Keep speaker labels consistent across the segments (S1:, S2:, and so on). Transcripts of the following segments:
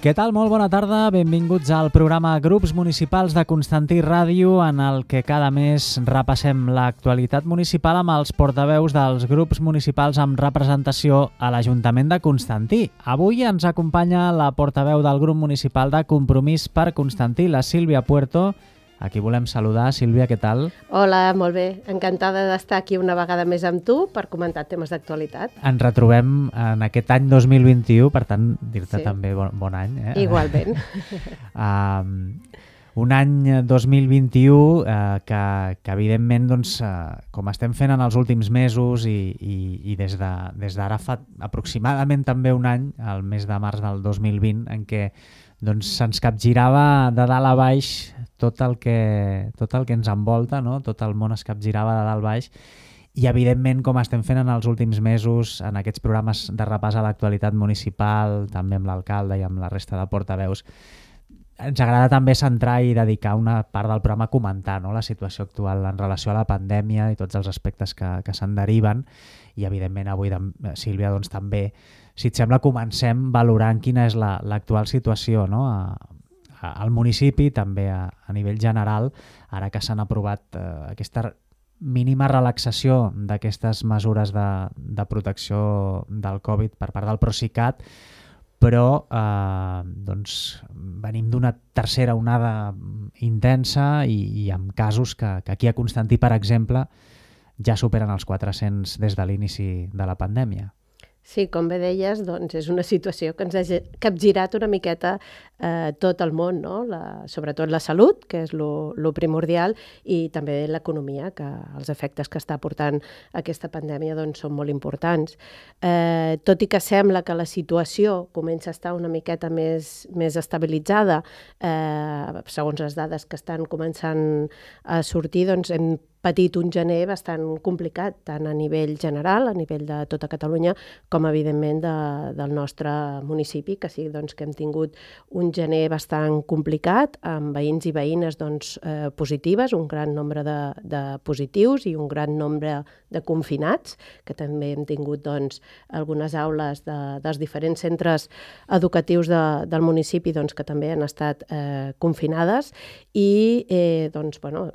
S1: Què tal? Molt bona tarda, benvinguts al programa Grups Municipals de Constantí Ràdio, en el que cada mes repassem l'actualitat municipal amb els portaveus dels grups municipals amb representació a l'Ajuntament de Constantí. Avui ens acompanya la portaveu del grup municipal de Compromís per Constantí, la Sílvia Puerto. Aquí volem saludar. Sílvia, què tal?
S2: Hola, molt bé. Encantada d'estar aquí una vegada més amb tu per comentar temes d'actualitat.
S1: Ens retrobem en aquest any 2021, per tant, dir-te també bon any.
S2: Igualment.
S1: Un any 2021 que evidentment, doncs, com estem fent en els últims mesos i des d'ara fa aproximadament també un any, el mes de març del 2020, en què doncs se'ns capgirava de dalt a baix tot el que ens envolta, no? Tot el món es capgirava de dalt a baix i evidentment, com estem fent en els últims mesos, en aquests programes de repàs a l'actualitat municipal, també amb l'alcalde i amb la resta de portaveus, ens agrada també centrar i dedicar una part del programa a comentar, no? La situació actual en relació a la pandèmia i tots els aspectes que se'n deriven. I evidentment avui, Sílvia, doncs també, si et sembla, comencem valorant quina és l'actual situació, no? Al municipi, també a nivell general, ara que s'han aprovat aquesta mínima relaxació d'aquestes mesures de protecció del Covid per part del Procicat, però doncs venim d'una tercera onada intensa i amb casos que aquí a Constantí, per exemple, ja superen els 400 des de l'inici de la pandèmia.
S2: Sí, com bé deies, doncs és una situació que ens ha capgirat una miqueta tot el món, no? Sobretot la salut, que és lo primordial, i també l'economia, que els efectes que està portant aquesta pandèmia doncs, són molt importants. Tot i que sembla que la situació comença a estar una miqueta més estabilitzada, segons les dades que estan començant a sortir, doncs hem patit un gener bastant complicat, tant a nivell general, a nivell de tota Catalunya, com evidentment del nostre municipi, que sí, doncs, que hem tingut un gener bastant complicat, amb veïns i veïnes doncs, positives, un gran nombre de positius i un gran nombre de confinats, que també hem tingut doncs, algunes aules dels diferents centres educatius del municipi doncs, que també han estat confinades i doncs, bueno,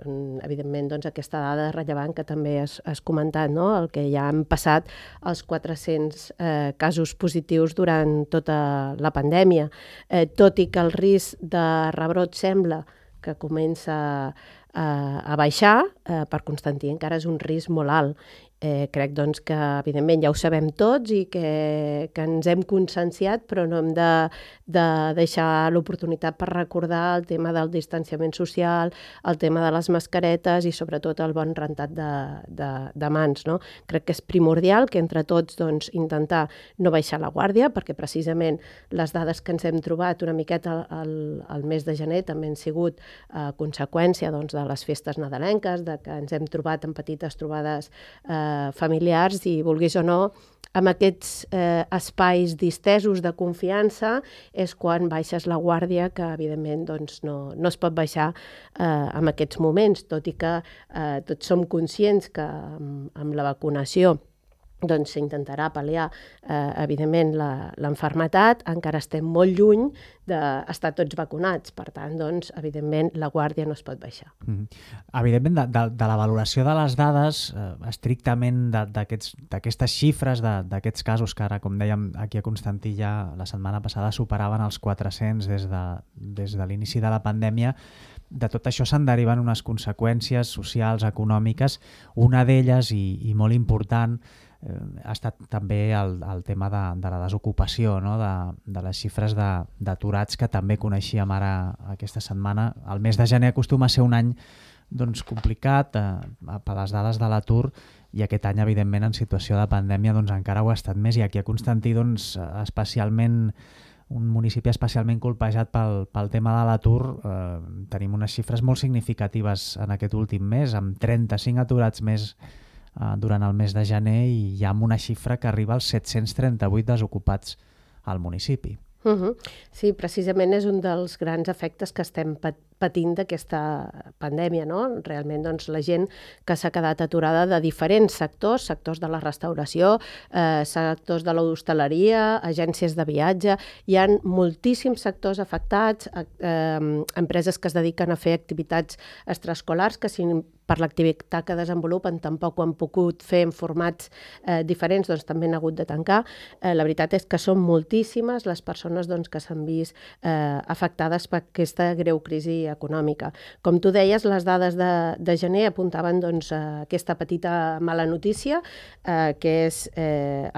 S2: evidentment doncs, aquesta dada rellevant que també has comentat, no? El que ja han passat els 400 casos positius durant tota la pandèmia, tot i que el risc de rebrot sembla que comença a baixar, per Constantí encara és un risc molt alt. Crec doncs, que evidentment ja ho sabem tots i que ens hem conscienciat, però no hem de deixar l'oportunitat per recordar el tema del distanciament social, el tema de les mascaretes i sobretot el bon rentat de mans. No? Crec que és primordial que entre tots doncs, intentar no baixar la guàrdia, perquè precisament les dades que ens hem trobat una miqueta al mes de gener també han sigut conseqüència doncs, de les festes nadalenques, de que ens hem trobat en petites trobades familiars i, vulguis o no, amb aquests espais distesos de confiança és quan baixes la guàrdia, que evidentment doncs, no es pot baixar en aquests moments, tot i que tots som conscients que amb la vacunació doncs s'intentarà pal·liar, evidentment, l'enfermetat. Encara estem molt lluny d'estar tots vacunats. Per tant, doncs, evidentment, la guàrdia no es pot baixar.
S1: Evidentment, de la valoració de les dades, estrictament d'aquestes xifres, d'aquests casos que ara, com dèiem, aquí a Constantí ja la setmana passada superaven els 400 des de l'inici de la pandèmia, de tot això se'n deriven unes conseqüències socials, econòmiques. Una d'elles, i molt important, ha estat també el tema de la desocupació, no? De les xifres d'aturats que també coneixíem ara aquesta setmana. El mes de gener acostuma a ser un any doncs, complicat per les dades de l'atur i aquest any, evidentment, en situació de pandèmia doncs, encara ho ha estat més. I aquí a Constantí, doncs, especialment un municipi especialment colpejat pel tema de l'atur, tenim unes xifres molt significatives en aquest últim mes, amb 35 aturats més durant el mes de gener i ja amb una xifra que arriba als 738 desocupats al municipi.
S2: Sí, precisament és un dels grans efectes que estem patint d'aquesta pandèmia, no? Realment, doncs, la gent que s'ha quedat aturada de diferents sectors, sectors de la restauració, sectors de l'hostaleria, agències de viatge, hi ha moltíssims sectors afectats, empreses que es dediquen a fer activitats extraescolars que per l'activitat que desenvolupen tampoc ho han pogut fer en formats diferents, doncs també han hagut de tancar. La veritat és que són moltíssimes les persones doncs, que s'han vist afectades per aquesta greu crisi econòmica. Com tu deies, les dades de gener apuntaven doncs, aquesta petita mala notícia, que és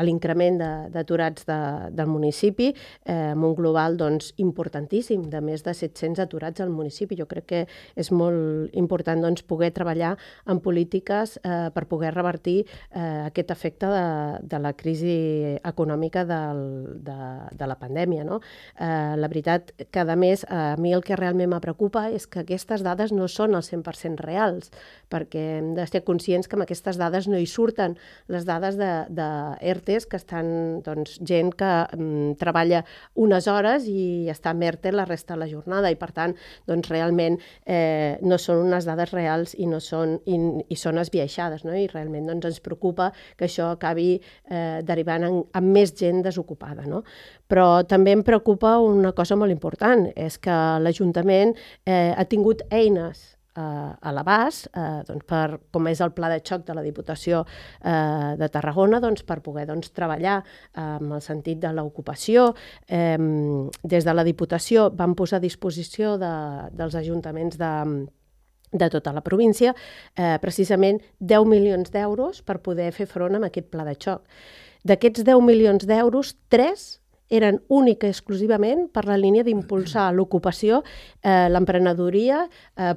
S2: l'increment d'aturats del municipi, amb un global doncs, importantíssim, de més de 700 aturats al municipi. Jo crec que és molt important doncs, poder treballar en polítiques per poder revertir aquest efecte de la crisi econòmica de la pandèmia. No? La veritat que, a més, a mi el que realment me preocupa és que aquestes dades no són al 100% reals, perquè hem de ser conscients que amb aquestes dades no hi surten les dades d'ERTEs, que estan doncs, gent que treballa unes hores i està en ERTE la resta de la jornada, i per tant doncs, realment no són unes dades reals i són esbiaixades, no? I realment doncs, ens preocupa que això acabi derivant en més gent desocupada. No? Però també em preocupa una cosa molt important, és que l'Ajuntament ha tingut eines a l'abast, doncs com és el pla de xoc de la Diputació de Tarragona, doncs per poder treballar en el sentit de l'ocupació. Des de la Diputació vam posar a disposició dels ajuntaments de tota la província precisament 10 milions d'euros per poder fer front a aquest pla de xoc. D'aquests 10 milions d'euros, 3 eren única i exclusivament per la línia d'impulsar l'ocupació, l'emprenedoria,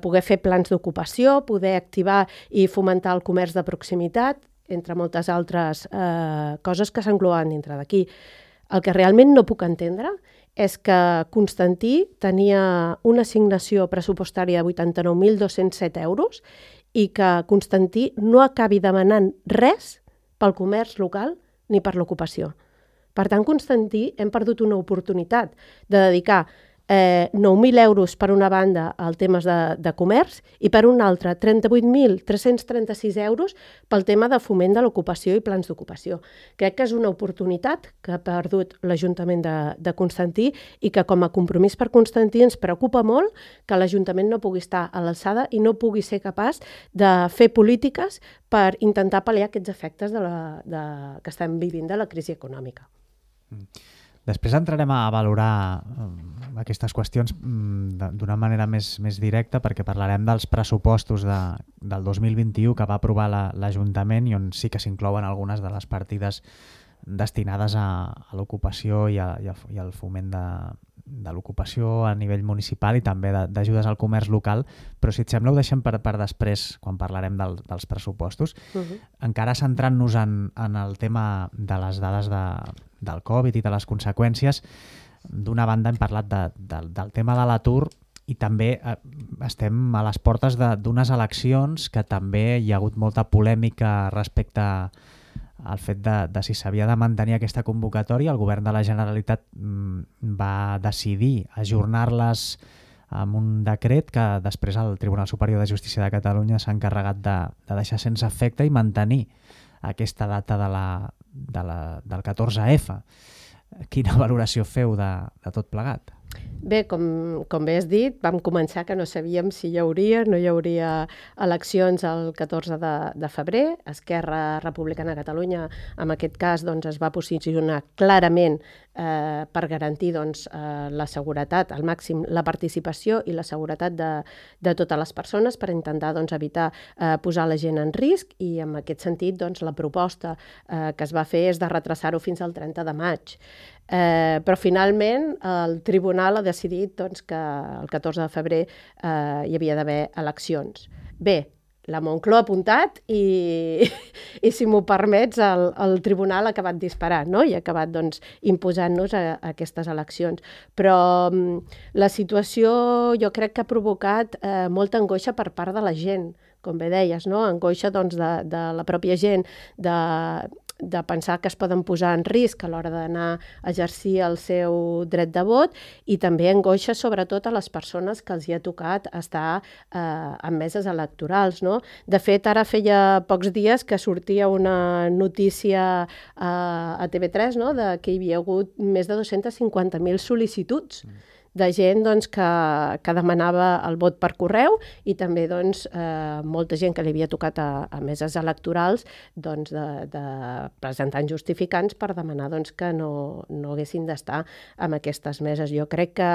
S2: poder fer plans d'ocupació, poder activar i fomentar el comerç de proximitat, entre moltes altres coses que s'engloben dintre d'aquí. El que realment no puc entendre és que Constantí tenia una assignació pressupostària de 89.207 euros i que Constantí no acabi demanant res pel comerç local ni per l'ocupació. Per tant, Constantí hem perdut una oportunitat de dedicar 9.000 euros per una banda al temes de comerç i per una altra 38.336 euros pel tema de foment de l'ocupació i plans d'ocupació. Crec que és una oportunitat que ha perdut l'Ajuntament de Constantí i que com a compromís per Constantí ens preocupa molt que l'Ajuntament no pugui estar a l'alçada i no pugui ser capaç de fer polítiques per intentar pal·liar aquests efectes que estem vivint de la crisi econòmica.
S1: Després entrarem a valorar aquestes qüestions d'una manera més directa, perquè parlarem dels pressupostos del 2021 que va aprovar l'Ajuntament i on sí que s'inclouen algunes de les partides destinades a l'ocupació i al foment de l'ocupació a nivell municipal i també d'ajudes al comerç local, però si et sembla ho deixem per després quan parlarem dels pressupostos. Encara centrant-nos en el tema de les dades del Covid i de les conseqüències, d'una banda hem parlat del tema de l'atur i també estem a les portes d'unes eleccions que també hi ha hagut molta polèmica respecte al fet de si s'havia de mantenir aquesta convocatòria. El govern de la Generalitat va decidir ajornar-les amb un decret que després el Tribunal Superior de Justícia de Catalunya s'ha encarregat de deixar sense efecte i mantenir aquesta data del 14F. Quina valoració feu de tot plegat?
S2: Bé, com bé has dit, vam començar que no sabíem si hi hauria o no hi hauria eleccions el 14 de febrer. Esquerra Republicana de Catalunya, en aquest cas, doncs, es va posicionar clarament per garantir la seguretat, al màxim la participació i la seguretat de totes les persones per intentar evitar posar la gent en risc i en aquest sentit la proposta que es va fer és de retrasar-ho fins al 30 de maig. Però finalment el tribunal ha decidit que el 14 de febrer hi havia d'haver eleccions. Bé, la Moncloa ha apuntat i si m'ho permets, el tribunal ha acabat disparant, no? I ha acabat imposant-nos a aquestes eleccions. Però la situació jo crec que ha provocat molta angoixa per part de la gent, com bé deies, no? Angoixa de la pròpia gent, de pensar que es poden posar en risc a l'hora d'anar a exercir el seu dret de vot, i també angoixa sobretot a les persones que els hi ha tocat estar en meses electorals, no? De fet, ara feia pocs dies que sortia una notícia a TV3, no? De que hi havia hagut més de 250.000 sol·licituds de gent doncs, que demanava el vot per correu, i també doncs, molta gent que li havia tocat a meses electorals doncs, de presentant justificants per demanar doncs, que no haguessin d'estar en aquestes meses. Jo crec que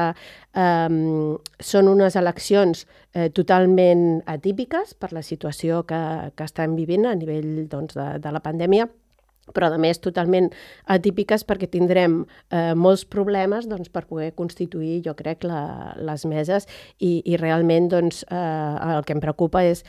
S2: són unes eleccions totalment atípiques per la situació que estem vivint a nivell doncs, de la pandèmia, però a més totalment atípiques perquè tindrem molts problemes doncs, per poder constituir, jo crec, les meses, i realment doncs, el que em preocupa és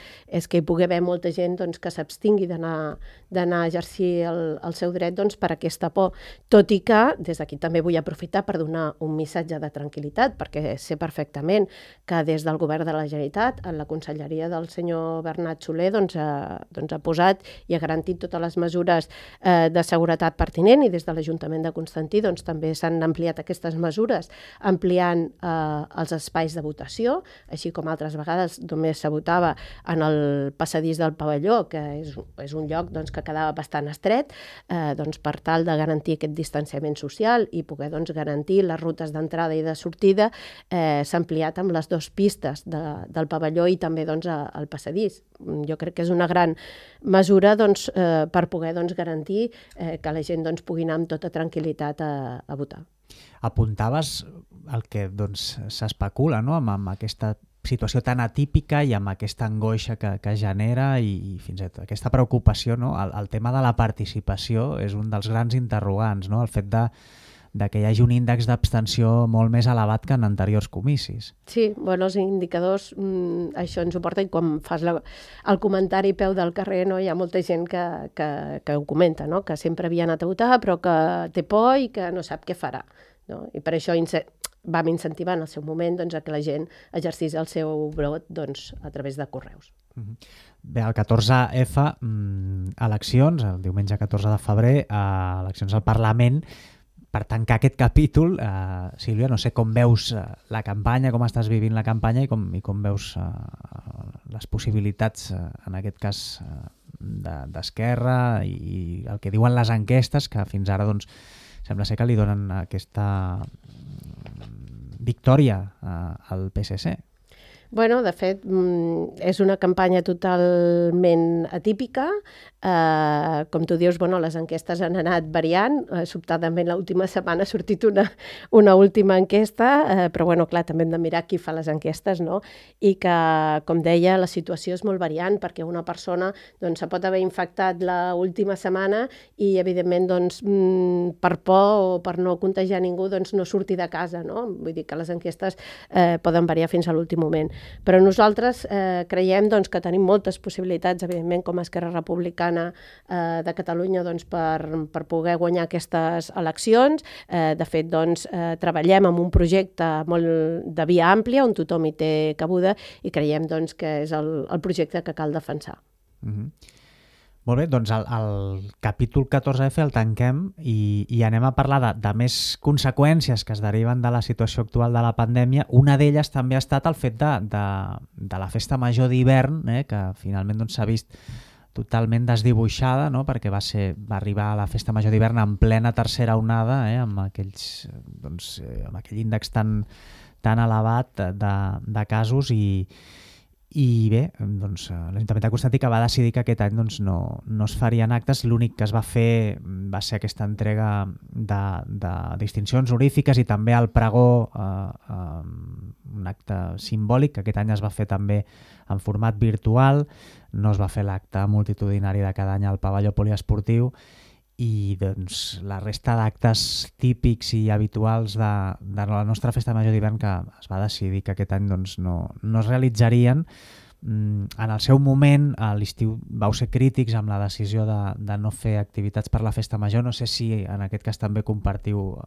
S2: que hi pugui haver molta gent doncs, que s'abstingui d'anar a exercir el seu dret doncs, per aquesta por, tot i que des d'aquí també vull aprofitar per donar un missatge de tranquil·litat, perquè sé perfectament que des del Govern de la Generalitat, en la conselleria del senyor Bernat Soler, doncs, ha posat i ha garantit totes les mesures de seguretat pertinent, i des de l'Ajuntament de Constantí doncs, també s'han ampliat aquestes mesures, ampliant els espais de votació, així com altres vegades només se votava en el passadís del pavelló, que és un lloc doncs, que quedava bastant estret, doncs, per tal de garantir aquest distanciament social i poder doncs, garantir les rutes d'entrada i de sortida. S'ha ampliat amb les 2 pistes del pavelló i també doncs, el passadís. Jo crec que és una gran mesura doncs, per poder doncs, garantir que la gent doncs, pugui anar amb tota tranquil·litat a votar.
S1: Apuntaves el que doncs, s'especula, no? amb aquesta situació tan atípica i amb aquesta angoixa que genera i fins i tot aquesta preocupació, no? El tema de la participació és un dels grans interrogants, no? El fet de que hi hagi un índex d'abstenció molt més elevat que en anteriors comicis.
S2: Sí, bueno, els indicadors això ens ho porta, i quan fas el comentari peu del carrer, no, hi ha molta gent que ho comenta, no? Que sempre havia anat a votar però que té por i que no sap què farà. No? I per això vam incentivar en el seu moment doncs, a que la gent exercís el seu vot doncs, a través de correus.
S1: Bé, el 14F, eleccions, el diumenge 14 de febrer, eleccions al Parlament. Per tancar aquest capítol, Sílvia, no sé com veus la campanya, com estàs vivint la campanya i com veus les possibilitats, en aquest cas, d'Esquerra i el que diuen les enquestes, que fins ara doncs, sembla ser que li donen aquesta victòria al PSC.
S2: Bueno, de fet, és una campanya totalment atípica. Com tu dius, bueno, les enquestes han anat variant. Sobtadament l'última setmana ha sortit una última enquesta, però bueno, clar, també hem de mirar qui fa les enquestes, no? I que, com deia, la situació és molt variant, perquè una persona doncs, se pot haver infectat l'última setmana i, evidentment, doncs, per por o per no contagiar ningú, doncs no surti de casa, no? Vull dir que les enquestes poden variar fins a l'últim moment. Però nosaltres creiem doncs, que tenim moltes possibilitats, evidentment, com a Esquerra Republicana de Catalunya, doncs, per poder guanyar aquestes eleccions. De fet, doncs, treballem amb un projecte molt de via àmplia, on tothom hi té cabuda, i creiem doncs, que és el projecte que cal defensar.
S1: Molt bé, doncs el capítol 14F el tanquem i anem a parlar de més conseqüències que es deriven de la situació actual de la pandèmia. Una d'elles també ha estat el fet de la festa major d'hivern, que finalment s'ha vist totalment desdibuixada, no? Perquè va arribar a la festa major d'hivern en plena tercera onada, amb aquell índex tan elevat de casos i bé, doncs, l'Ajuntament de Constantí que va decidir que aquest any doncs, no es farien actes. L'únic que es va fer va ser aquesta entrega de distincions honorífiques i també el pregó, un acte simbòlic, que aquest any es va fer també en format virtual. No es va fer l'acte multitudinari de cada any al pavelló poliesportiu, i doncs, la resta d'actes típics i habituals de la nostra festa major d'hivern que es va decidir que aquest any doncs, no es realitzarien. En el seu moment, a l'estiu, vau ser crítics amb la decisió de no fer activitats per la festa major. No sé si en aquest cas també compartiu,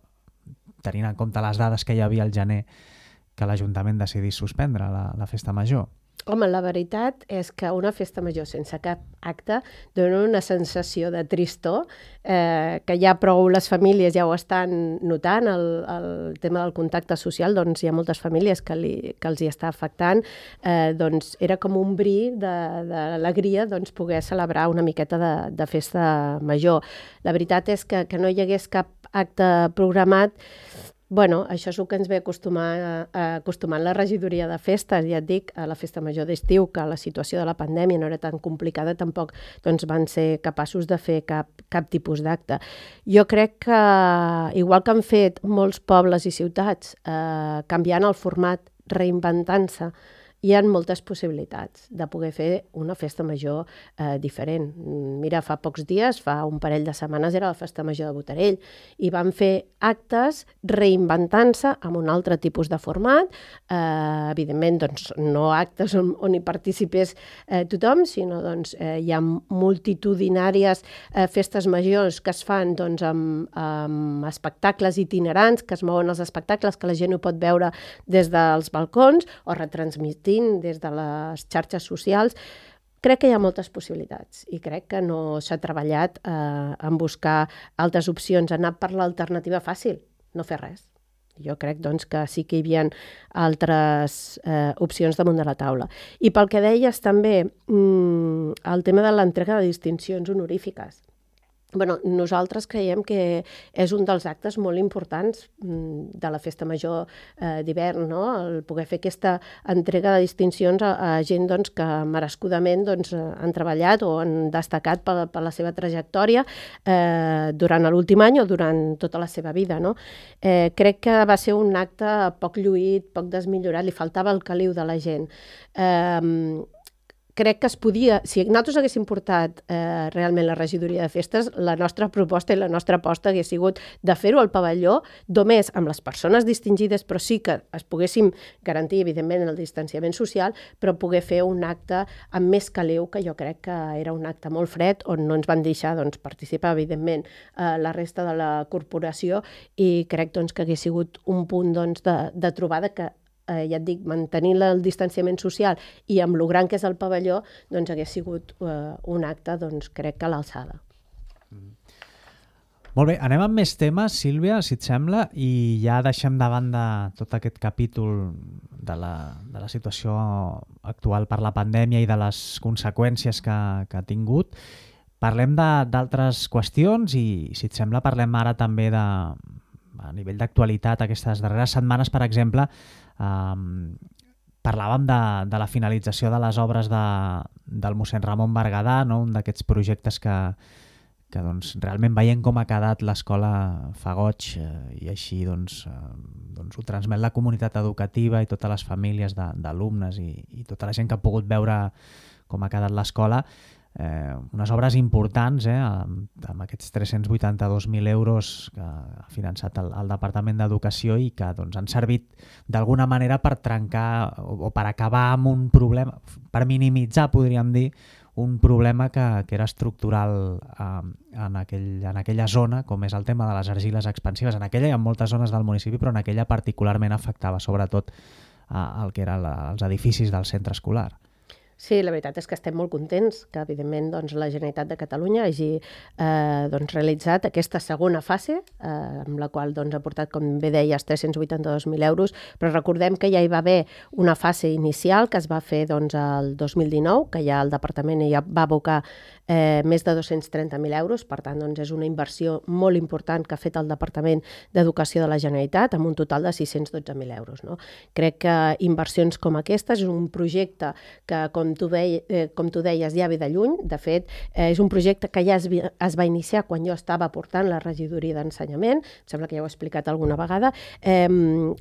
S1: tenint en compte les dades que hi havia al gener, que l'Ajuntament decidís suspendre la festa major.
S2: Home, la veritat és que una festa major sense cap acte dona una sensació de tristor, que ja prou les famílies ja ho estan notant, el tema del contacte social, doncs hi ha moltes famílies que els hi està afectant, doncs era com un bri d'alegria doncs, poder celebrar una miqueta de festa major. La veritat és que no hi hagués cap acte programat. Bueno, això és el que ens ve acostumant la regidoria de festes. Ja et dic, a la festa major d'estiu, que la situació de la pandèmia no era tan complicada, tampoc doncs, van ser capaços de fer cap tipus d'acte. Jo crec que, igual que han fet molts pobles i ciutats, canviant el format, reinventant-se, hi ha moltes possibilitats de poder fer una festa major diferent. Mira, fa pocs dies, fa un parell de setmanes, era la festa major de Botarell i van fer actes reinventant-se amb un altre tipus de format. Evidentment, doncs, no actes on hi participés tothom, sinó doncs, hi ha multitudinàries festes majors que es fan doncs, amb espectacles itinerants, que es mouen els espectacles, que la gent ho pot veure des dels balcons o retransmitint des de les xarxes socials. Crec que hi ha moltes possibilitats i crec que no s'ha treballat en buscar altres opcions, anar per l'alternativa fàcil, no fer res. Jo crec doncs, que sí que hi havia altres opcions damunt de la taula. I pel que deies també, el tema de l'entrega de distincions honorífiques. Bueno, nosaltres creiem que és un dels actes molt importants de la festa major d'hivern, no? El poder fer aquesta entrega de distincions a gent doncs, que merescudament doncs, han treballat o han destacat per la seva trajectòria durant l'últim any o durant tota la seva vida. No? Crec que va ser un acte poc lluït, poc desmillorat, li faltava el caliu de la gent. Crec que es podia, si nosaltres haguéssim portat realment la regidoria de festes, la nostra proposta i la nostra aposta hagués sigut de fer-ho al pavelló, només amb les persones distingides, però sí que es poguéssim garantir, evidentment, el distanciament social, però poder fer un acte amb més caliu, que jo crec que era un acte molt fred, on no ens van deixar doncs, participar, evidentment, la resta de la corporació, i crec doncs, que hagués sigut un punt doncs, de trobada que ja et dic, mantenint el distanciament social i amb lo gran que és el pavelló, doncs hagués sigut un acte, doncs, crec que a l'alçada.
S1: Molt bé, anem amb més temes, Sílvia, si et sembla, i ja deixem de banda tot aquest capítol de la situació actual per la pandèmia i de les conseqüències que ha tingut. Parlem d'altres qüestions i, si et sembla, parlem ara també a nivell d'actualitat. Aquestes darreres setmanes, per exemple, parlàvem de la finalització de les obres del mossèn Ramon Berguedà, no? Un d'aquests projectes que doncs, realment veient com ha quedat l'escola fa goig i així doncs, ho transmet la comunitat educativa i totes les famílies d'alumnes i tota la gent que ha pogut veure com ha quedat l'escola. Unes obres importants, amb aquests 382.000 euros que ha finançat el Departament d'Educació i que doncs, han servit d'alguna manera per trencar o per acabar amb un problema, per minimitzar, podríem dir, un problema que era estructural en aquella zona, com és el tema de les argiles expansives. En aquella i en moltes zones del municipi, però en aquella particularment afectava sobretot el que eren els edificis del centre escolar.
S2: Sí, la veritat és que estem molt contents que, evidentment, doncs, la Generalitat de Catalunya hagi doncs, realitzat aquesta segona fase, amb la qual doncs, ha portat, com bé deies, 382.000 euros, però recordem que ja hi va haver una fase inicial que es va fer doncs, el 2019, que ja el Departament ja va abocar més de 230.000 euros, per tant, doncs, és una inversió molt important que ha fet el Departament d'Educació de la Generalitat, amb un total de 612.000 euros. No? Crec que inversions com aquestes és un projecte que, com tu deies, ja ve de lluny. De fet, és un projecte que ja es va iniciar quan jo estava portant la regidoria d'ensenyament, em sembla que ja ho he explicat alguna vegada,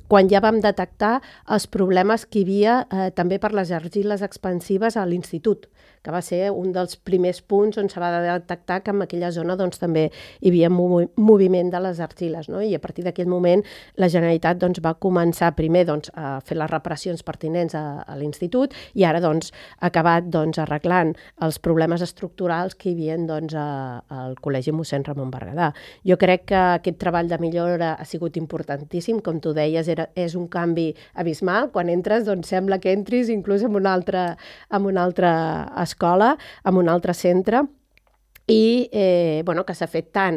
S2: quan ja vam detectar els problemes que hi havia també per les argiles expansives a l'institut, que va ser un dels primers punts on se va detectar que en aquella zona doncs, també hi havia moviment de les argiles, no? I a partir d'aquell moment la Generalitat doncs, va començar primer doncs, a fer les reparacions pertinents a l'institut i ara doncs, ha acabat doncs, arreglant els problemes estructurals que hi havia doncs, al Col·legi Mossèn Ramon Berguedà. Jo crec que aquest treball de millora ha sigut importantíssim, com tu deies, és un canvi abismal. Quan entres doncs, sembla que entris inclús en una altra escola, en un altre centre, i que s'ha fet tant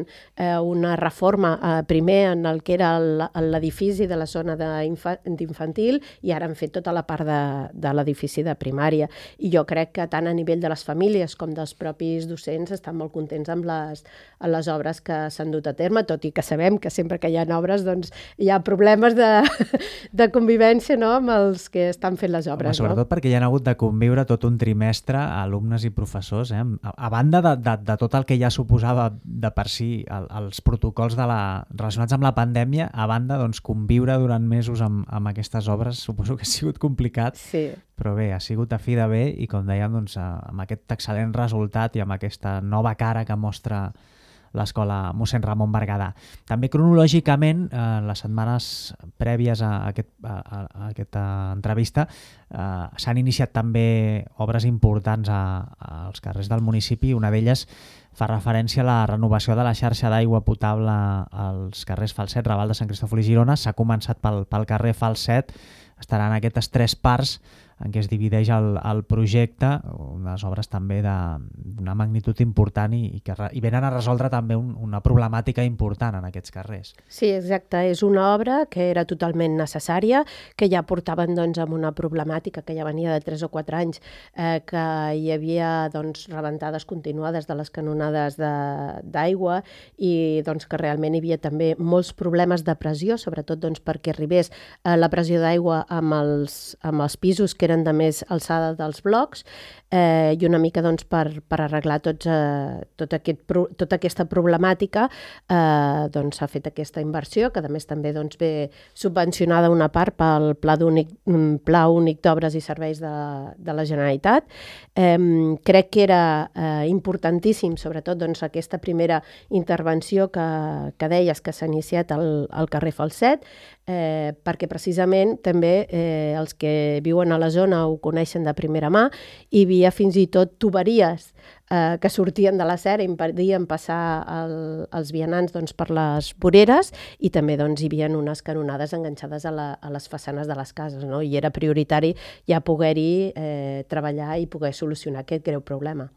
S2: una reforma primer en el que era l'edifici de la zona d'infantil i ara han fet tota la part de l'edifici de primària. I jo crec que tant a nivell de les famílies com dels propis docents estan molt contents amb les obres que s'han dut a terme, tot i que sabem que sempre que hi ha obres doncs, hi ha problemes de convivència, no?, amb els que estan fent les obres.
S1: Sobretot perquè hi ha hagut de conviure tot un trimestre alumnes i professors, a banda de tot el que ja suposava de per si els protocols relacionats amb la pandèmia, a banda doncs, conviure durant mesos amb aquestes obres, suposo que ha sigut complicat,
S2: sí.
S1: Però bé, ha sigut a fi de bé i com dèiem, doncs, amb aquest excel·lent resultat i amb aquesta nova cara que mostra l'escola Mossèn Ramon Berguedà. També cronològicament, les setmanes prèvies a aquesta entrevista s'han iniciat també obres importants als carrers del municipi. Una d'elles fa referència a la renovació de la xarxa d'aigua potable als carrers Falset, Raval de Sant Cristòfol i Girona. S'ha començat pel carrer Falset, estaran aquestes 3 parts en què es divideix el projecte, unes obres també d'una magnitud important i venen a resoldre també una problemàtica important en aquests carrers.
S2: Sí, exacte. És una obra que era totalment necessària, que ja portaven doncs, amb una problemàtica que ja venia de 3 o 4 anys, que hi havia doncs, rebentades continuades de les canonades d'aigua i doncs, que realment hi havia també molts problemes de pressió, sobretot doncs, perquè arribés la pressió d'aigua amb els pisos que eren de més alçada dels blocs i una mica doncs, per arreglar tota aquesta problemàtica doncs, s'ha fet aquesta inversió, que a més també doncs, ve subvencionada una part pel Pla Únic d'Obres i Serveis de la Generalitat. Crec que era importantíssim, sobretot doncs, aquesta primera intervenció que deies que s'ha iniciat al carrer Falset, perquè precisament també els que viuen a la zona ho coneixen de primera mà. Hi havia fins i tot tuberies que sortien de la serra i impedien passar els vianants doncs, per les voreres i també doncs, hi havia unes canonades enganxades a les façanes de les cases, no? I era prioritari ja poder-hi treballar i poder solucionar aquest greu problema.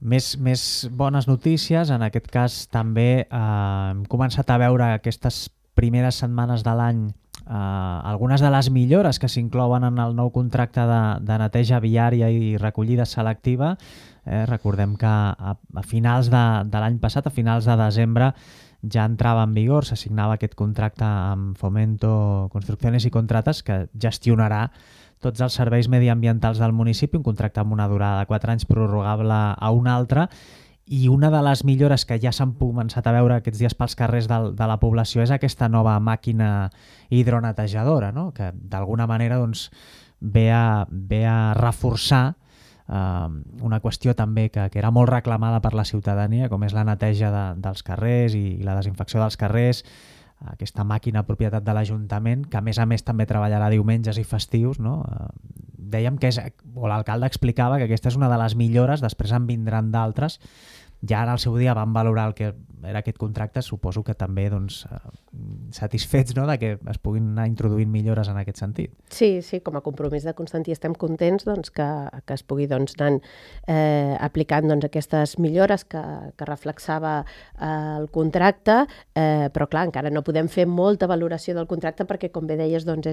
S1: Més bones notícies, en aquest cas també hem començat a veure aquestes primeres setmanes de l'any algunes de les millores que s'inclouen en el nou contracte de neteja viària i recollida selectiva. Recordem que a finals de l'any passat, a finals de desembre, ja entrava en vigor, s'assignava aquest contracte amb Fomento Construcciones y Contratas, que gestionarà tots els serveis mediambientals del municipi, un contracte amb una durada de 4 anys prorrogable a un altre. I una de les millores que ja s'han començat a veure aquests dies pels carrers de la població és aquesta nova màquina hidronetejadora, no? Que d'alguna manera doncs, ve a reforçar una qüestió també que era molt reclamada per la ciutadania, com és la neteja dels carrers i la desinfecció dels carrers, aquesta màquina propietat de l'Ajuntament, que a més també treballarà diumenges i festius, no? Dèiem que l'alcalde explicava que aquesta és una de les millores, després en vindran d'altres. Ja en el seu dia van valorar el que era aquest contracte, suposo que també doncs, satisfets, no?, de que es puguin anar introduint millores en aquest sentit.
S2: Sí, com a compromís de Constantí estem contents doncs, que es pugui doncs, anar aplicant doncs, aquestes millores que reflexava el contracte, però clar, encara no podem fer molta valoració del contracte perquè, com bé deies, doncs,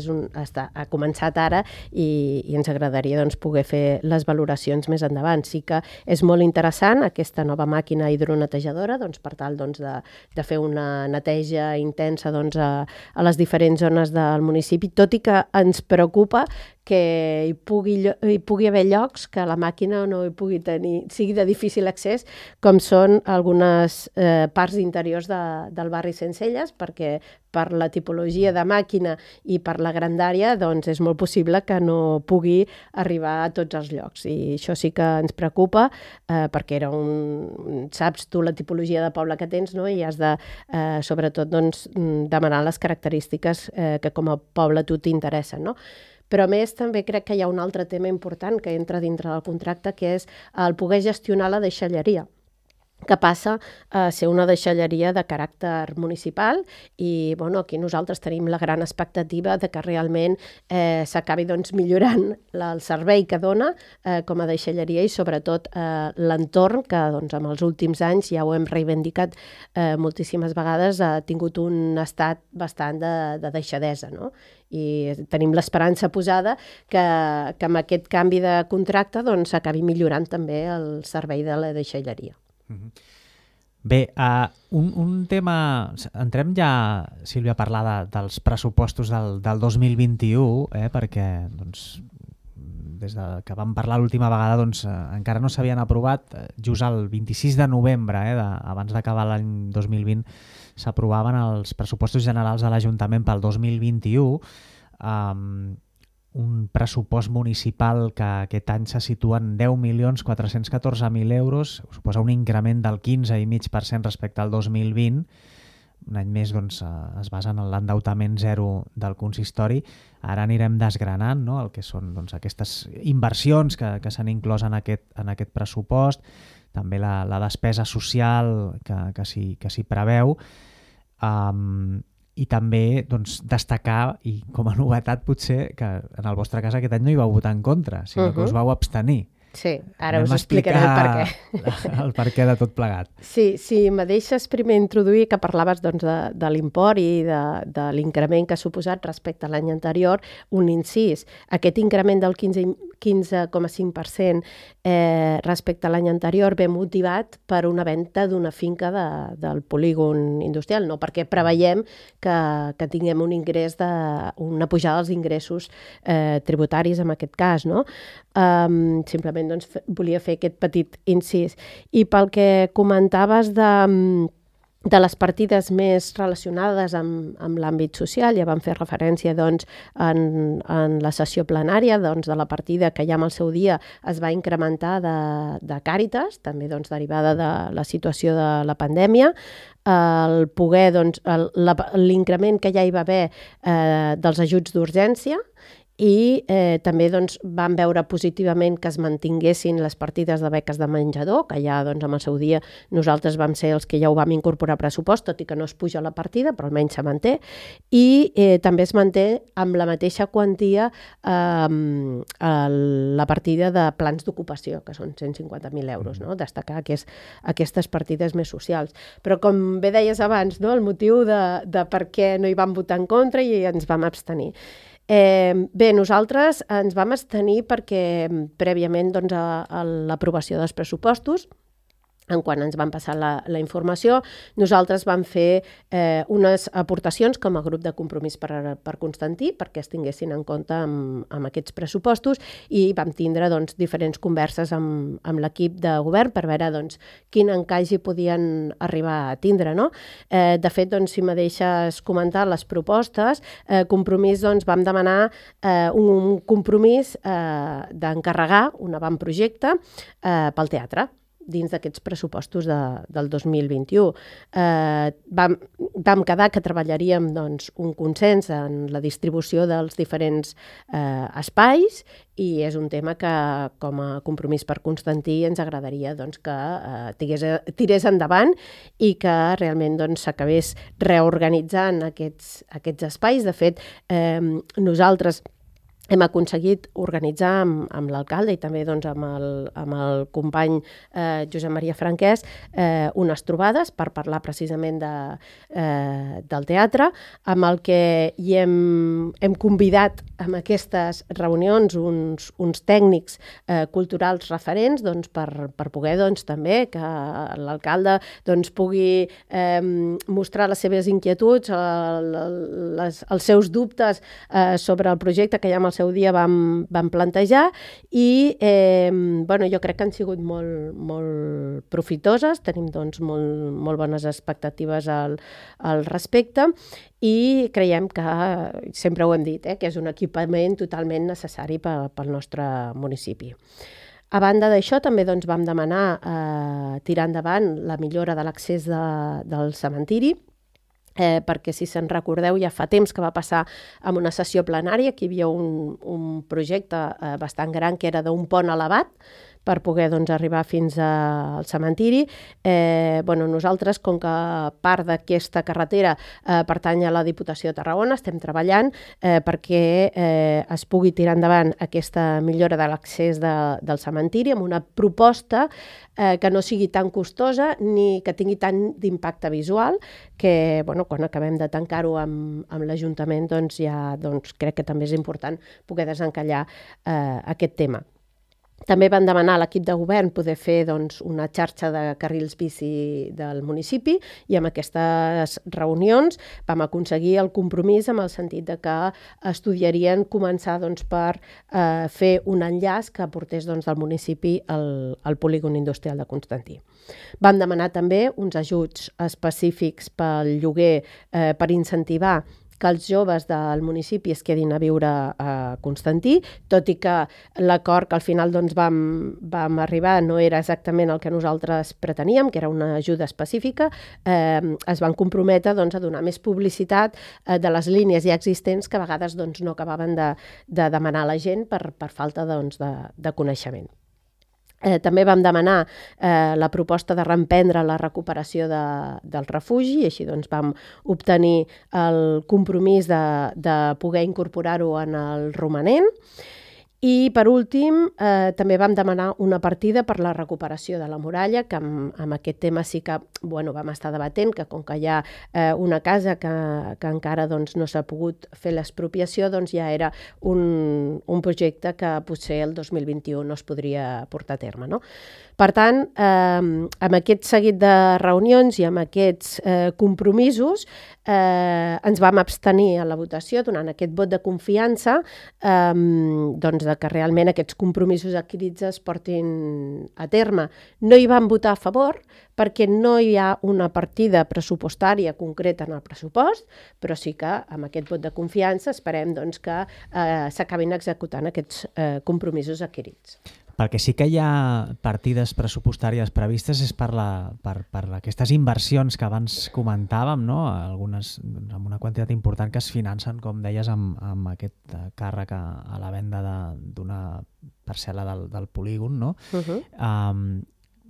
S2: ha començat ara i ens agradaria doncs, poder fer les valoracions més endavant. Sí que és molt interessant aquesta nova màquina hidronetejadora doncs, per tal doncs, de fer una neteja intensa doncs, a les diferents zones del municipi, tot i que ens preocupa que hi pugui haver llocs que la màquina no hi pugui tenir, sigui de difícil accés, com són algunes parts interiors del barri Sencelles, perquè per la tipologia de màquina i per la grandària, doncs és molt possible que no pugui arribar a tots els llocs. I això sí que ens preocupa, perquè saps tu la tipologia de poble que tens, no? I has de, sobretot, doncs, demanar les característiques que com a poble a tu t'interessen, no? Però a més també crec que hi ha un altre tema important que entra dintre del contracte, que és el poder gestionar la deixalleria, que passa a ser una deixalleria de caràcter municipal i aquí nosaltres tenim la gran expectativa de que realment s'acabi millorant el servei que dona com a deixalleria i sobretot l'entorn que amb els últims anys, ja ho hem reivindicat moltíssimes vegades, ha tingut un estat bastant de deixadesa, no? I tenim l'esperança posada que amb aquest canvi de contracte s'acabi millorant també el servei de la deixalleria.
S1: Bé, un tema... Entrem ja, Sílvia, a parlar dels pressupostos del 2021, perquè des que vam parlar l'última vegada encara no s'havien aprovat. Just el 26 de novembre, abans d'acabar l'any 2020, s'aprovaven els pressupostos generals de l'Ajuntament pel 2021, un pressupost municipal que aquest any se situa en 10.414.000 euros, suposa un increment del 15,5% respecte al 2020. Un any més es basa en l'endeutament zero del consistori. Ara anirem desgranant, no?, el que són aquestes inversions que s'han inclòs en aquest pressupost, també la despesa social que s'hi preveu, i també destacar, i com a novetat potser, que en el vostre cas aquest any no hi vau votar en contra, sinó que us vau abstenir.
S2: Sí, ara us explicaré el per què.
S1: El per què de tot plegat.
S2: Sí, si me deixes primer introduir que parlaves de l'import i de l'increment que ha suposat respecte a l'any anterior, un incís. Aquest increment del 15,5% respecte a l'any anterior ve motivat per una venda d'una finca del polígon industrial, no perquè preveiem que tinguem un ingrés una pujada dels ingressos tributaris en aquest cas, no? Simplement volia fer aquest petit incís. I pel que comentaves de les partides més relacionades amb l'àmbit social, ja vam fer referència en la sessió plenària de la partida que ja en el seu dia es va incrementar de Càritas, també derivada de la situació de la pandèmia, el poder l'increment que ja hi va haver dels ajuts d'urgència, i també vam veure positivament que es mantinguessin les partides de beques de menjador, que ja en el seu dia nosaltres vam ser els que ja ho vam incorporar a pressupost, tot i que no es puja la partida, però almenys se manté, i també es manté amb la mateixa quantia la partida de plans d'ocupació, que són 150.000 euros, no? Destacar aquestes partides més socials. Però com bé deies abans, no? El motiu de per què no hi vam votar en contra i ens vam abstenir. Bé, nosaltres ens vam abstenir perquè prèviament a l'aprovació dels pressupostos, en quan ens van passar la informació, nosaltres vam fer unes aportacions com a grup de compromís per Constantí, perquè es tinguessin en compte amb aquests pressupostos, i vam tindre diferents converses amb l'equip de govern per veure quin encaix hi podien arribar a tindre, no? De fet, si me deixes comentar les propostes, Compromís vam demanar un compromís d'encarregar un avantprojecte pel teatre dins d'aquests pressupostos del 2021. Vam quedar que treballaríem un consens en la distribució dels diferents espais, i és un tema que, com a compromís per Constantí, ens agradaria que tirés endavant i que realment s'acabés reorganitzant aquests espais. De fet, nosaltres hem aconseguit organitzar amb l'alcalde i també amb el company Josep Maria Franquès unes trobades per parlar precisament del teatre, amb el que hi hem convidat amb aquestes reunions uns tècnics culturals referents per poder també que l'alcalde pugui mostrar les seves inquietuds, els seus dubtes sobre el projecte que hi ha amb el seu seu dia vam plantejar i jo crec que han sigut molt profitoses, tenim doncs molt bones expectatives al respecte i creiem que, sempre ho hem dit, que és un equipament totalment necessari pel nostre municipi. A banda d'això, també doncs, vam demanar tirar endavant la millora de l'accés del cementiri, perquè si se'n recordeu ja fa temps que va passar en una sessió plenària que hi havia un projecte bastant gran que era d'un pont elevat per poder arribar fins al cementiri. Nosaltres, com que part d'aquesta carretera pertany a la Diputació de Tarragona, estem treballant perquè es pugui tirar endavant aquesta millora de l'accés del cementiri amb una proposta que no sigui tan costosa ni que tingui tant d'impacte visual, que quan acabem de tancar-ho amb l'Ajuntament crec que també és important poder desencallar aquest tema. També van demanar a l'equip de govern poder fer una xarxa de carrils bici del municipi i amb aquestes reunions vam aconseguir el compromís amb el sentit de que estudiarien començar per fer un enllaç que portés del municipi al polígon industrial de Constantí. Vam demanar també uns ajuts específics pel lloguer per incentivar que els joves del municipi es quedin a viure a Constantí, tot i que l'acord que al final vam arribar no era exactament el que nosaltres preteníem, que era una ajuda específica, es van comprometre a donar més publicitat de les línies ja existents que a vegades no acabaven de demanar a la gent per falta de coneixement. També vam demanar la proposta de reemprendre la recuperació del refugi i així vam obtenir el compromís de poder incorporar-ho en el romanent. I, per últim, també vam demanar una partida per la recuperació de la muralla, que amb aquest tema sí que vam estar debatent, que com que hi ha una casa que encara no s'ha pogut fer l'expropiació, ja era un projecte que potser el 2021 no es podria portar a terme, no? Per tant, amb aquest seguit de reunions i amb aquests compromisos ens vam abstenir a la votació donant aquest vot de confiança de que realment aquests compromisos adquirits es portin a terme. No hi vam votar a favor perquè no hi ha una partida pressupostària concreta en el pressupost, però sí que amb aquest vot de confiança esperem que s'acabin executant aquests compromisos adquirits.
S1: Perquè sí que hi ha partides pressupostàries previstes és per aquestes inversions que abans comentàvem, no? Algunes amb una quantitat important que es financen, com deies, amb aquest càrrec a la venda d'una parcel·la del polígon, no?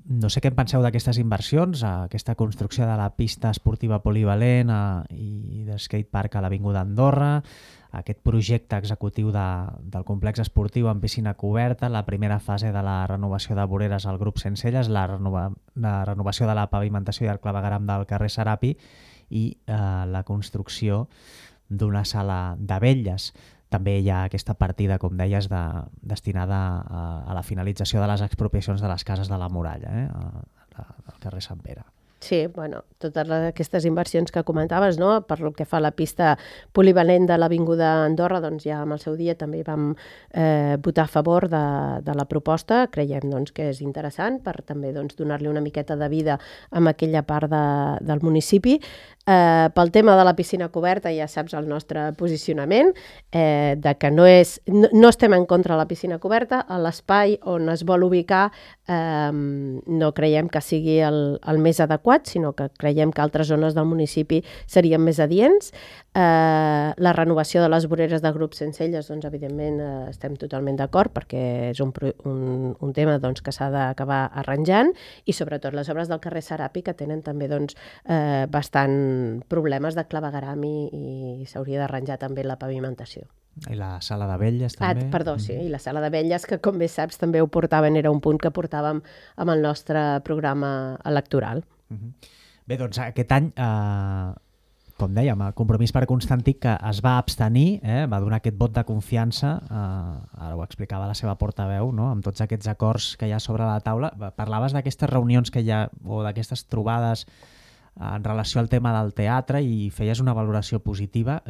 S1: No sé què en penseu d'aquestes inversions, aquesta construcció de la pista esportiva polivalent i de skatepark a l'Avinguda Andorra, aquest projecte executiu del complex esportiu amb piscina coberta, la primera fase de la renovació de voreres al grup Sencelles, la renovació de la pavimentació i el clavegueram del carrer Serapi i la construcció d'una sala de vetlles. També hi ha aquesta partida, com deies, destinada a la finalització de les expropiacions de les cases de la muralla, al carrer Sant Pere.
S2: Sí, totes aquestes inversions que comentaves, no? Per lo que fa a la pista polivalent de l'Avinguda Andorra, ja amb el seu dia també vam votar a favor de la proposta. Creiem que és interessant per també donar-li una miqueta de vida a aquella part del municipi. Pel tema de la piscina coberta ja saps el nostre posicionament, de que no estem en contra de la piscina coberta, a l'espai on es vol ubicar no creiem que sigui el més adequat, sinó que creiem que altres zones del municipi serien més adients. La renovació de les voreres del grup Sencelles, evidentment estem totalment d'acord perquè és un tema que s'ha d'acabar arranjant i sobretot les obres del carrer Serapi que tenen també bastant problemes de clavegueram i s'hauria d'arranjar també la pavimentació.
S1: I la sala de vetlles també.
S2: Sí, i la sala de vetlles, que com bé saps també ho portaven, era un punt que portàvem amb el nostre programa electoral.
S1: Bé, aquest any, com dèiem, el Compromís per Constantí, que es va abstenir, va donar aquest vot de confiança, ara ho explicava la seva portaveu, no? Amb tots aquests acords que hi ha sobre la taula. Parlaves d'aquestes reunions que hi ha, o d'aquestes trobades en relació al tema del teatre i feies una valoració positiva.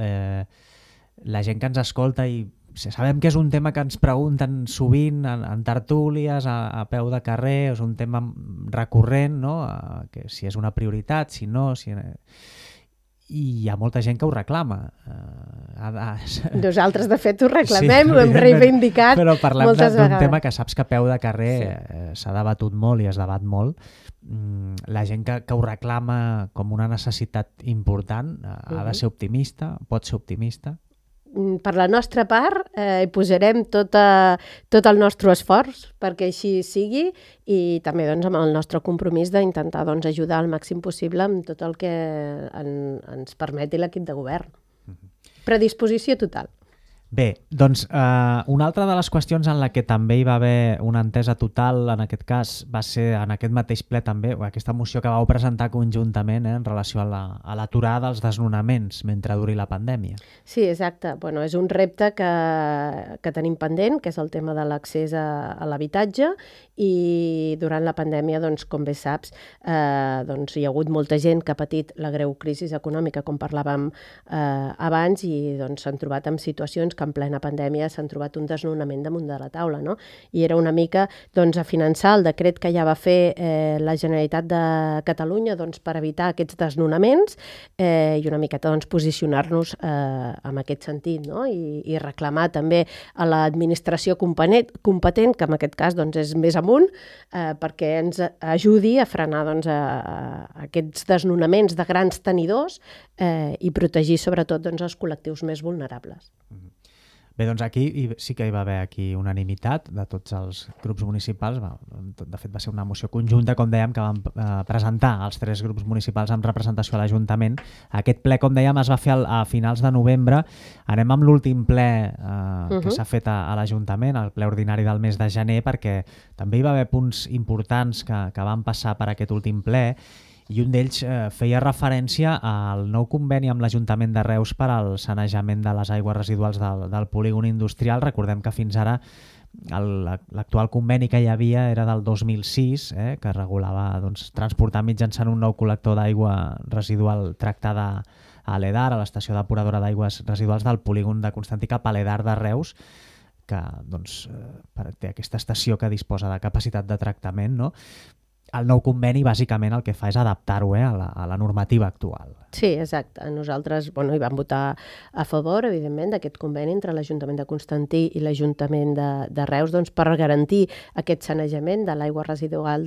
S1: La gent que ens escolta i sabem que és un tema que ens pregunten sovint en tertúlies, a peu de carrer, és un tema recurrent, no? Que si és una prioritat, si no... I hi ha molta gent que ho reclama.
S2: Nosaltres, de fet, ho reclamem, ho hem reivindicat moltes vegades. Però
S1: parlem d'un tema que saps que a peu de carrer s'ha debatut molt i es debat molt. La gent que ho reclama com una necessitat important ha de ser optimista, pot ser optimista.
S2: Per la nostra part, posarem tot el nostre esforç perquè així sigui i també doncs, amb el nostre compromís d'intentar doncs, ajudar al màxim possible amb tot el que ens permeti l'equip de govern. Predisposició total.
S1: Bé, doncs una altra de les qüestions en la que també hi va haver una entesa total, en aquest cas, va ser en aquest mateix ple també, aquesta moció que vau presentar conjuntament en relació a l'aturada dels desnonaments mentre duri la pandèmia.
S2: Sí, exacte. Bueno, és un repte que tenim pendent, que és el tema de l'accés a l'habitatge, i durant la pandèmia, doncs, com bé saps, doncs, hi ha hagut molta gent que ha patit la greu crisi econòmica, com parlàvem abans, i doncs, s'han trobat en situacions que en plena pandèmia s'han trobat un desnonament damunt de la taula, no? I era una mica doncs, a finançar el decret que ja va fer la Generalitat de Catalunya doncs, per evitar aquests desnonaments i una miqueta doncs, posicionar-nos en aquest sentit, no? I reclamar també a l'administració competent, que en aquest cas doncs, és més amunt, perquè ens ajudi a frenar doncs, aquests desnonaments de grans tenidors i protegir sobretot doncs, els col·lectius més vulnerables.
S1: Bé, doncs aquí sí que hi va haver unanimitat de tots els grups municipals. De fet, va ser una moció conjunta, com dèiem, que vam presentar els 3 grups municipals amb representació a l'Ajuntament. Aquest ple, com dèiem, es va fer a finals de novembre. Anem amb l'últim ple que s'ha fet a l'Ajuntament, el ple ordinari del mes de gener, perquè també hi va haver punts importants que van passar per aquest últim ple, i un d'ells feia referència al nou conveni amb l'Ajuntament de Reus per al sanejament de les aigües residuals del polígon industrial. Recordem que fins ara l'actual conveni que hi havia era del 2006, que regulava doncs, transportar mitjançant un nou col·lector d'aigua residual tractada a l'EDAR, a l'estació depuradora d'aigües residuals del polígon de Constantí cap a l'EDAR de Reus, que doncs, té aquesta estació que disposa de capacitat de tractament, no? El nou conveni, bàsicament, el que fa és adaptar-ho a la normativa actual.
S2: Sí, exacte. Nosaltres hi vam votar a favor, evidentment, d'aquest conveni entre l'Ajuntament de Constantí i l'Ajuntament de Reus doncs, per garantir aquest sanejament de l'aigua residual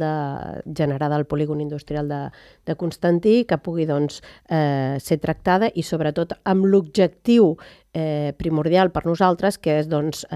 S2: generada al polígon industrial de Constantí, que pugui doncs, ser tractada i, sobretot, amb l'objectiu primordial per nosaltres, que és doncs,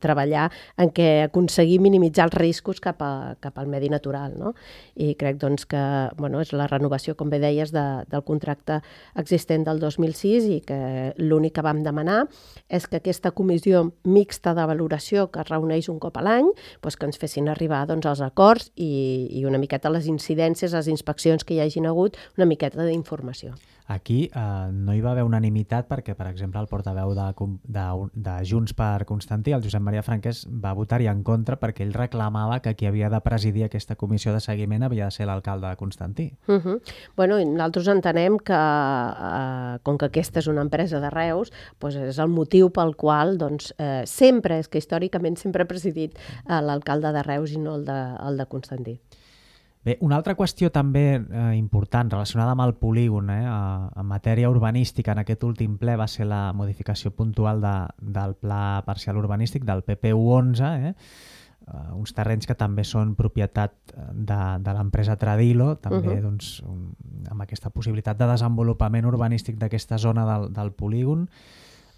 S2: treballar en què aconseguir minimitzar els riscos cap al medi natural. No? I crec doncs, que és la renovació, com bé deies, del contracte existent del 2006 i que l'únic que vam demanar és que aquesta comissió mixta de valoració que es reuneix un cop a l'any doncs, que ens fessin arribar doncs, els acords i una miqueta les incidències, les inspeccions que hi hagin hagut, una miqueta d'informació.
S1: Aquí no hi va haver unanimitat perquè, per exemple, el portaveu de Junts per Constantí, el Josep Maria Franquès, va votar-hi en contra perquè ell reclamava que qui havia de presidir aquesta comissió de seguiment havia de ser l'alcalde de Constantí.
S2: Nosaltres entenem que, com que aquesta és una empresa de Reus, doncs és el motiu pel qual sempre, és que històricament sempre ha presidit l'alcalde de Reus i no el de Constantí.
S1: Bé, una altra qüestió també important relacionada amb el polígon en matèria urbanística en aquest últim ple va ser la modificació puntual del Pla Parcial Urbanístic del PP11, uns terrenys que també són propietat de l'empresa Tradilo, també doncs, amb aquesta possibilitat de desenvolupament urbanístic d'aquesta zona del polígon.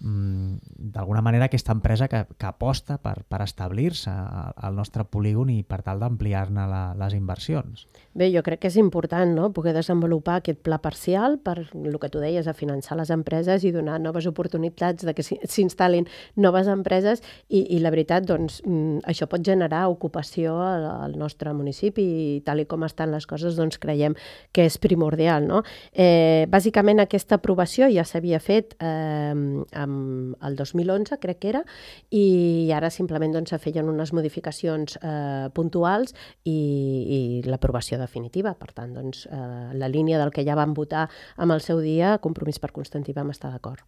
S1: D'alguna manera aquesta empresa que aposta per establir-se al nostre polígon i per tal d'ampliar-ne les inversions.
S2: Bé, jo crec que és important, no?, poder desenvolupar aquest pla parcial per el que tu deies, a finançar les empreses i donar noves oportunitats de que s'instal·lin noves empreses i la veritat, doncs, això pot generar ocupació al nostre municipi i tal com estan les coses, doncs creiem que és primordial, no? Bàsicament aquesta aprovació ja s'havia fet el 2011, crec que era, i ara simplement doncs, se feien unes modificacions puntuals i l'aprovació definitiva. Per tant, doncs, la línia del que ja vam votar amb el seu dia, Compromís per Constantí, vam estar d'acord.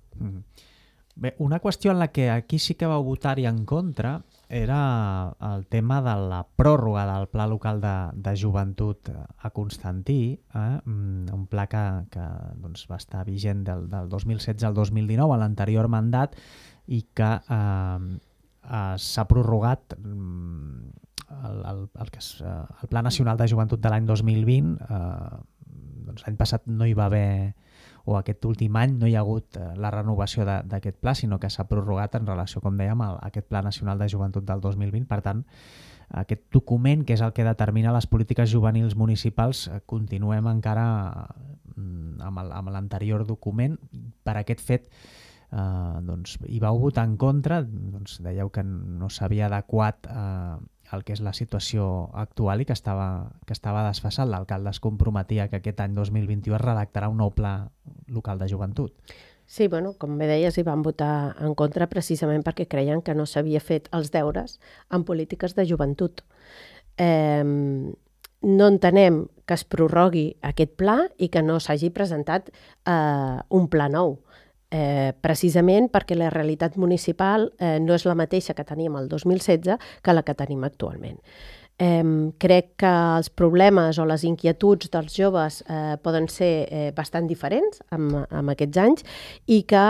S1: Bé, una qüestió en la que aquí sí que vau votar-hi en contra era el tema de la pròrroga del Pla Local de Joventut a Constantí, un pla que doncs, va estar vigent del 2016 al 2019, a l'anterior mandat, i que s'ha prorrogat el Pla Nacional de Joventut de l'any 2020. Doncs l'any passat no hi va haver, o aquest últim any no hi ha hagut la renovació d'aquest pla, sinó que s'ha prorrogat en relació, com dèiem, a aquest Pla Nacional de Joventut del 2020. Per tant, aquest document, que és el que determina les polítiques juvenils municipals, continuem encara amb l'anterior document. Per aquest fet, doncs, hi vau votar en contra, doncs, dèieu que no s'havia adequat el que és la situació actual i que estava desfasat. L'alcalde es comprometia que aquest any 2021 es redactarà un nou pla local de joventut.
S2: Sí, bueno, com bé deies, hi van votar en contra precisament perquè creien que no s'havia fet els deures en polítiques de joventut. No entenem que es prorrogui aquest pla i que no s'hagi presentat un pla nou. Precisament perquè la realitat municipal no és la mateixa que teníem el 2016 que la que tenim actualment. Crec que els problemes o les inquietuds dels joves poden ser bastant diferents amb aquests anys i que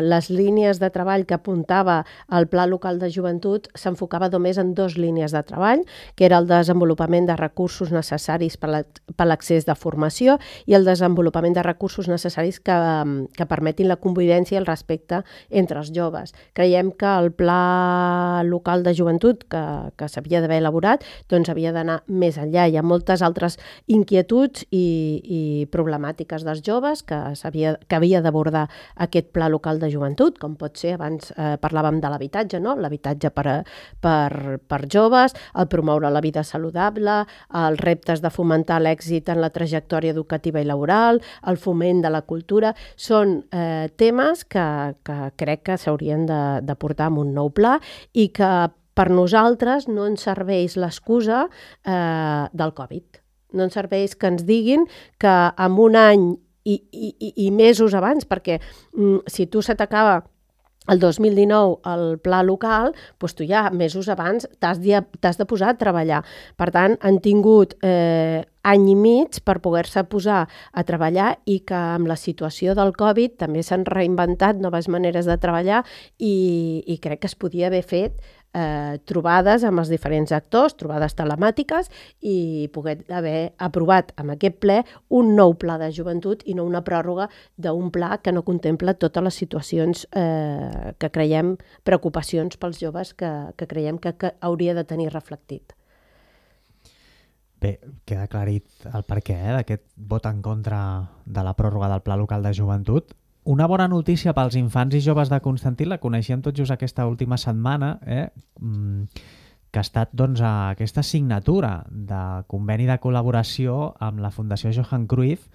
S2: les línies de treball que apuntava el Pla Local de Joventut s'enfocava només en 2 línies de treball, que era el desenvolupament de recursos necessaris per l'accés de formació i el desenvolupament de recursos necessaris que permetin la convivència i el respecte entre els joves. Creiem que el Pla Local de Joventut que s'havia d'haver elaborat doncs havia d'anar més enllà. Hi ha moltes altres inquietuds i problemàtiques dels joves que havia d'abordar aquest Pla Local de Joventut, com pot ser, abans parlàvem de l'habitatge, no? L'habitatge per joves, el promoure la vida saludable, els reptes de fomentar l'èxit en la trajectòria educativa i laboral, el foment de la cultura. Són temes que crec que s'haurien de portar en un nou pla i que per nosaltres no ens serveix l'excusa del Covid. No ens serveix que ens diguin que en un any i mesos abans, perquè si tu se t'acaba el 2019 el pla local, doncs tu ja mesos abans t'has de posar a treballar. Per tant, han tingut any i mig per poder-se posar a treballar i que amb la situació del Covid també s'han reinventat noves maneres de treballar i crec que es podia haver fet trobades amb els diferents actors, trobades telemàtiques i poder haver aprovat amb aquest ple un nou pla de joventut i no una pròrroga d'un pla que no contempla totes les situacions que creiem, preocupacions pels joves que creiem que hauria de tenir reflectit.
S1: Bé, queda aclarit el perquè d'aquest vot en contra de la pròrroga del Pla Local de Joventut. Una bona notícia pels infants i joves de Constantí, la coneixíem tot just aquesta última setmana, que ha estat doncs, aquesta signatura de conveni de col·laboració amb la Fundació Johan Cruyff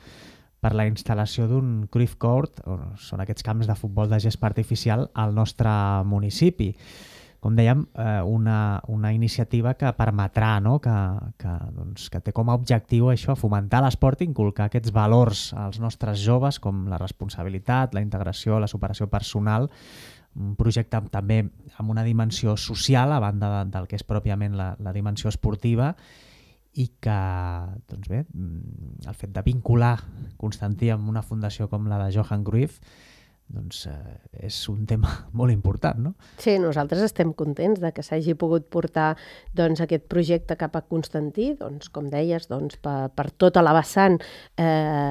S1: per la instal·lació d'un Cruyff Court, són aquests camps de futbol de gespa artificial, al nostre municipi. Com dèiem, una iniciativa que permetrà, no? que té com a objectiu això, fomentar l'esport i inculcar aquests valors als nostres joves, com la responsabilitat, la integració, la superació personal, un projecte també amb una dimensió social, a banda del que és pròpiament la dimensió esportiva, i que, doncs bé, el fet de vincular Constantí amb una fundació com la de Johan Cruyff doncs és un tema molt important, no?
S2: Sí, nosaltres estem contents de que s'hagi pogut portar doncs, aquest projecte cap a Constantí, doncs, com deies, doncs, per tota la vessant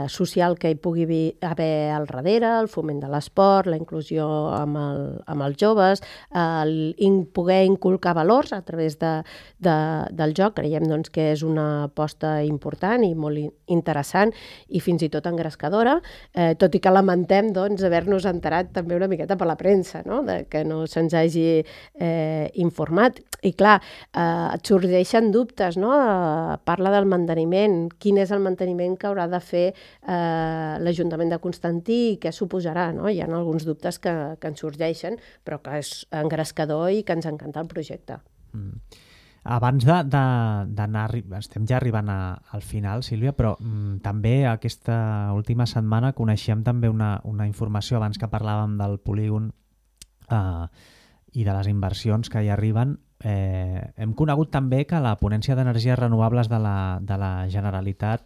S2: social que hi pugui haver al darrere, el foment de l'esport, la inclusió amb els joves, poder inculcar valors a través del joc. Creiem doncs, que és una aposta important i molt interessant i fins i tot engrescadora, tot i que lamentem doncs, haver-nos enterat també una miqueta per la premsa, no? Que no se'ns hagi informat. I clar, et sorgeixen dubtes, no? Parla del manteniment, quin és el manteniment que haurà de fer l'Ajuntament de Constantí i què suposarà, no? Hi ha alguns dubtes que ens sorgeixen, però que és engrescador i que ens encanta el projecte.
S1: Abans d'anar, estem ja arribant al final, Sílvia, però també aquesta última setmana coneixíem també una informació, abans que parlàvem del polígon i de les inversions que hi arriben. Hem conegut també que la ponència d'energies renovables de la Generalitat,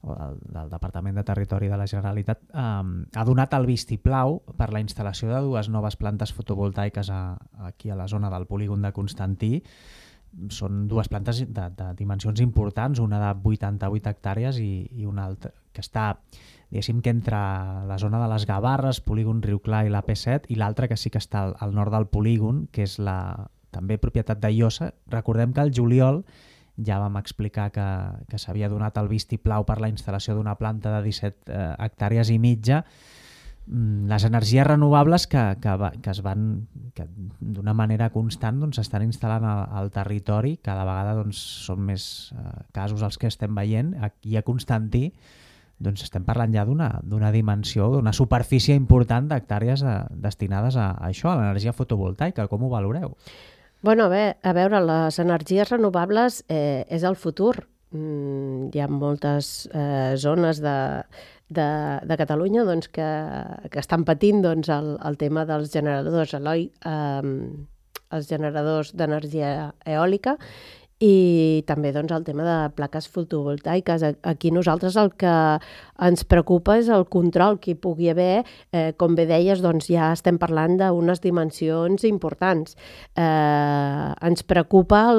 S1: o del Departament de Territori de la Generalitat, ha donat el vistiplau per la instal·lació de 2 noves plantes fotovoltaiques aquí a la zona del polígon de Constantí. Són 2 plantes de dimensions importants, una de 88 hectàrees i una altra que està, diguéssim, que entre la zona de les Gavarres, polígon Riu Clar i la P7, i l'altra que sí que està al nord del polígon, que és també propietat d'Iosa. Recordem que al juliol ja vam explicar que s'havia donat el vistiplau per la instal·lació d'una planta de 17 hectàrees i mitja. Les energies renovables que d'una manera constant s'estan instal·lant al territori. Cada vegada són més casos els que estem veient. Aquí a Constantí estem parlant ja d'una dimensió, d'una superfície important d'hectàrees destinades a això, a l'energia fotovoltaica. Com ho valoreu?
S2: Bueno, a veure, les energies renovables és el futur. Hi ha moltes zones de Catalunya que estan patint el tema dels generadors, els generadors d'energia eòlica, i també el tema de plaques fotovoltaiques. Aquí nosaltres el que ens preocupa és el control que hi pugui haver. Com bé deies, ja estem parlant d'unes dimensions importants. Ens preocupa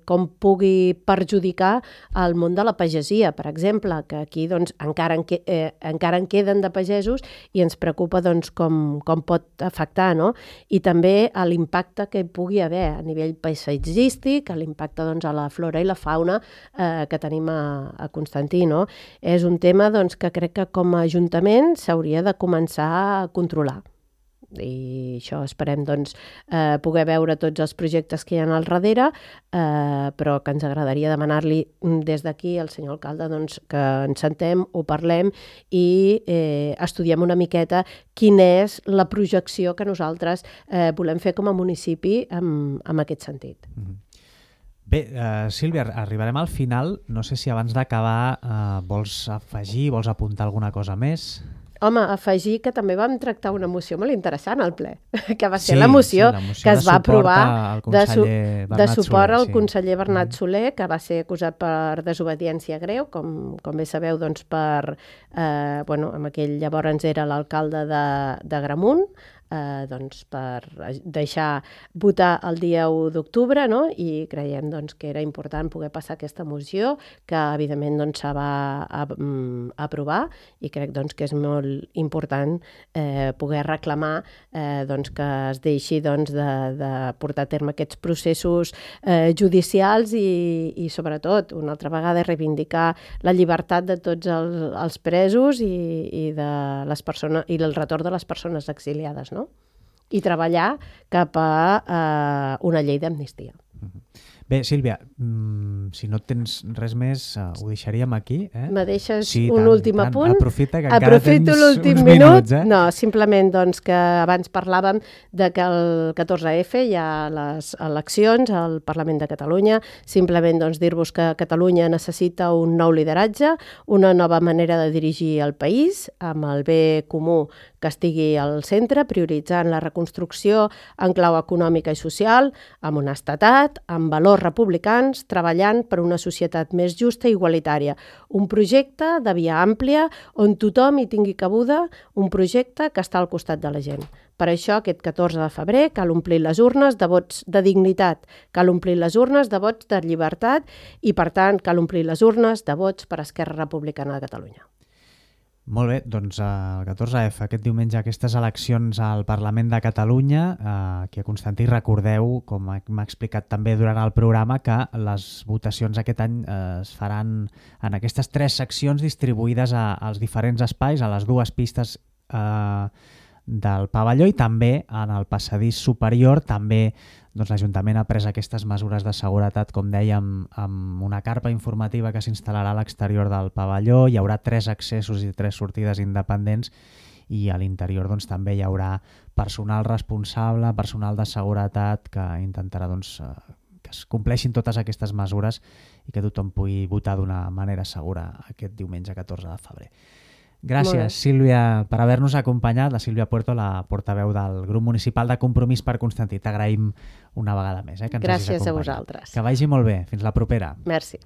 S2: com pugui perjudicar el món de la pagesia, per exemple, que aquí encara en queden de pagesos i ens preocupa com pot afectar, no? I també l'impacte que hi pugui haver a nivell paisatgístic, l'impacte a la flora i la fauna que tenim a Constantí, no? És un tema que crec que com a Ajuntament s'hauria de començar a controlar. I això esperem poder veure tots els projectes que hi ha al darrere, però que ens agradaria demanar-li des d'aquí al senyor alcalde que ens sentem, ho parlem i estudiem una miqueta quina és la projecció que nosaltres volem fer com a municipi en aquest sentit.
S1: Bé, Sílvia, arribarem al final. No sé si abans d'acabar vols afegir, vols apuntar alguna cosa més?
S2: Home, afegir que també vam tractar una moció molt interessant al ple, que va ser la moció que es va aprovar de suport al conseller Bernat Soler, que va ser acusat per desobediència greu, com bé sabeu, amb aquell llavors era l'alcalde de Gramunt, per deixar votar el dia 1 d'octubre, no? I creiem que era important poder passar aquesta moció, que evidentment se va aprovar, i crec que és molt important poder reclamar que es deixi de portar a terme aquests processos judicials i sobretot, una altra vegada, reivindicar la llibertat de tots els presos i de les persones, i el retorn de les persones exiliades, no? I treballar cap a una llei d'amnistia.
S1: Bé, Sílvia, si no tens res més, ho deixaríem aquí.
S2: Me deixes un últim apunt?
S1: Aprofita, que encara tens uns
S2: minuts. No, simplement que abans parlàvem de que el 14F hi ha les eleccions al Parlament de Catalunya. Simplement dir-vos que Catalunya necessita un nou lideratge, una nova manera de dirigir el país, amb el bé comú que estigui al centre, prioritzant la reconstrucció en clau econòmica i social, amb honestedat, amb valors republicans, treballant per una societat més justa i igualitària. Un projecte de via àmplia on tothom hi tingui cabuda, un projecte que està al costat de la gent. Per això, aquest 14 de febrer cal omplir les urnes de vots de dignitat, cal omplir les urnes de vots de llibertat i, per tant, cal omplir les urnes de vots per Esquerra Republicana de Catalunya.
S1: Molt bé, doncs el 14F, aquest diumenge, aquestes eleccions al Parlament de Catalunya. Aquí a Constantí recordeu, com m'ha explicat també durant el programa, que les votacions aquest any es faran en aquestes 3 seccions distribuïdes als diferents espais, a les 2 pistes del pavelló i també en el passadís superior. També l'Ajuntament ha pres aquestes mesures de seguretat, com dèiem, amb una carpa informativa que s'instal·larà a l'exterior del pavelló. Hi haurà 3 accessos i 3 sortides independents i a l'interior també hi haurà personal responsable, personal de seguretat que intentarà que es compleixin totes aquestes mesures i que tothom pugui votar d'una manera segura aquest diumenge 14 de febrer. Gràcies, Sílvia, per haver-nos acompanyat. La Sílvia Puerto, la portaveu del grup municipal de Compromís per Constantí. T'agraïm una vegada més que ens hagis acompanyat.
S2: Gràcies a vosaltres.
S1: Que vagi molt bé. Fins la propera.
S2: Merci.